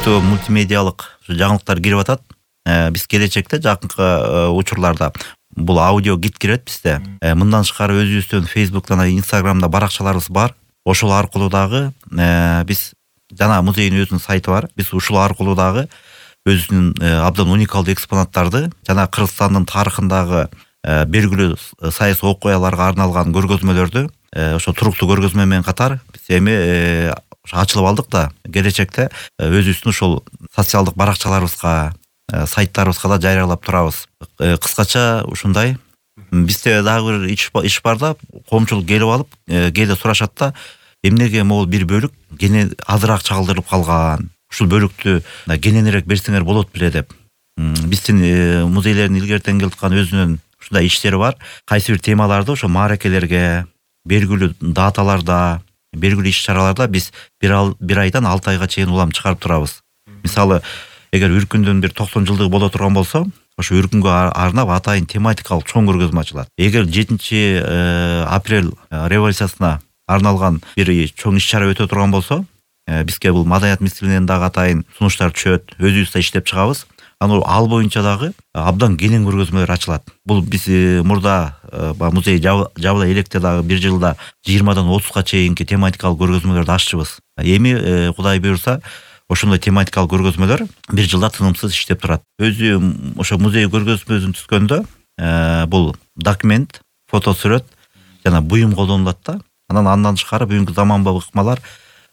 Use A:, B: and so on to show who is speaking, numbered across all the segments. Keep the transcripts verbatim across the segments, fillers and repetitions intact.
A: көптөгөн мультимедиалык жаңылыктар кирип атат. Биз келечекте жакынкы учурларда бул аудио гид кирет бизде. Мындан тышкары өзүбүздүн Facebook'та, Instagram'да баракчаларыбыз бар. Ошол аркылуу дагы биз жана музейдин өзүнүн сайты бар. Биз ушул аркылуу дагы өзүнүн абдан уникалдуу экспонаттарды жана Кыргызстандын тарыхындагы белгилүү саясий окуяларга арналган көргөзмөлөрдү ошо туруктуу көргөзмө менен катар биз эми ачылып алдык да, келечекте өзүбүздүн ушул социалдык баракчаларыбызга, сайттарыбызга да жарыялап турабыз. Кыскача ушундай. Бизде дагы бир иш бар да, коомчулук келип алып, кээде сурашат да, эмнеге могул бир бөлүк кене азыраак чагылдырылып калган? Ушул бөлүктү кененирээк берсеңер болот беле деп. Биздин музейлердин илгертен келаткан өзүнүн ушундай иштери бар. Кайсы бир темаларды ошо мааракелерге, белгилүү даталарда, белгилүү иш-чараларда биз бир айдан алты айга чейин улам чыгарып турабыз. Мисалы, эгер Үркүндүн бир токсон жылдыгы боло турган болсо, ошо Үркүнгө арнап атайын тематикалык чоң көргөзмө ачылат. Эгер жетинчи апрель революциясына арналган бир чоң иш-чара өтө турган болсо, бизге бул маданият министрлигинен дагы атайын сунуштар түшөт, өзүбүз да иштеп чыгабыз. Анан ал боюнча дагы абдан кенен көргөзмөлөр ачылат. Бул биз мурда музей жабыла электе дагы бир жылда жыйырмадан отузга чейинки тематикалык көргөзмөлөрдү аччыбыз. Эми Кудай буйрса, ошондой тематикалык көргөзмөлөр бир жылда тынымсыз иштеп турат. Өзү ошо музей көргөзмөсүн түзгөндө бул документ, фотосүрөт жана буюм колдонулат да. Анан андан тышкары бүгүнкү заманбап ыкмалар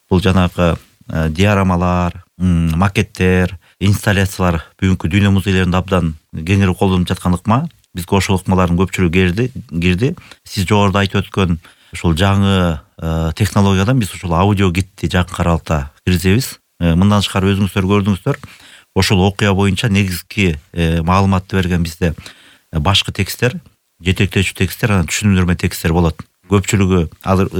A: бул жанагы диорамалар, макеттер, инсталляциялар бүгүнкү дүйнө музейлеринде абдан кеңири колдонулуп жаткан ыкма. Бизге ошол ыкмалардын көпчүлүгү кирди, кирди. Сиз жогоруда айтып өткөн ушул жаңы технологиядан биз ушул аудио гидти жакын аралыкта киргизебиз. Мындан тышкары өзүңүздөр көрдүңүздөр, ошол окуя боюнча негизги маалыматты берген бизде башкы тексттер, жетектөөчү тексттер, анан түшүндүрмө тексттер болот. Көпчүлүгү азыр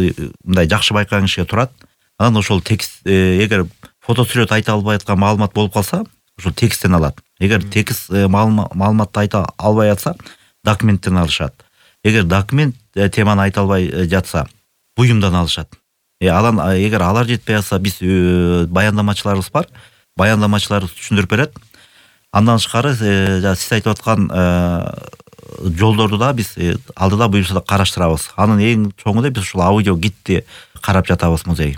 A: мындай жакшы байкаган кишиге турат. Анан ошол текст эгер фотосүрөт айта албай аткан маалымат болуп калса, ошол тексттен алат. Эгер текст маалыматты айта албай атса, документтен алышат. Эгер документ теманы айта албай жатса, буюмдан алышат. Алан эгер алар жетпей атса, биз баяндамачыларыбыз бар. Баяндамачыларыбыз түшүндүрүп берет. Андан тышкары сиз айтып аткан жолдорду да биз алдыда буюрса да караштырабыз. Анын эң чоңу да биз ушул аудио гидти карап жатабыз музей.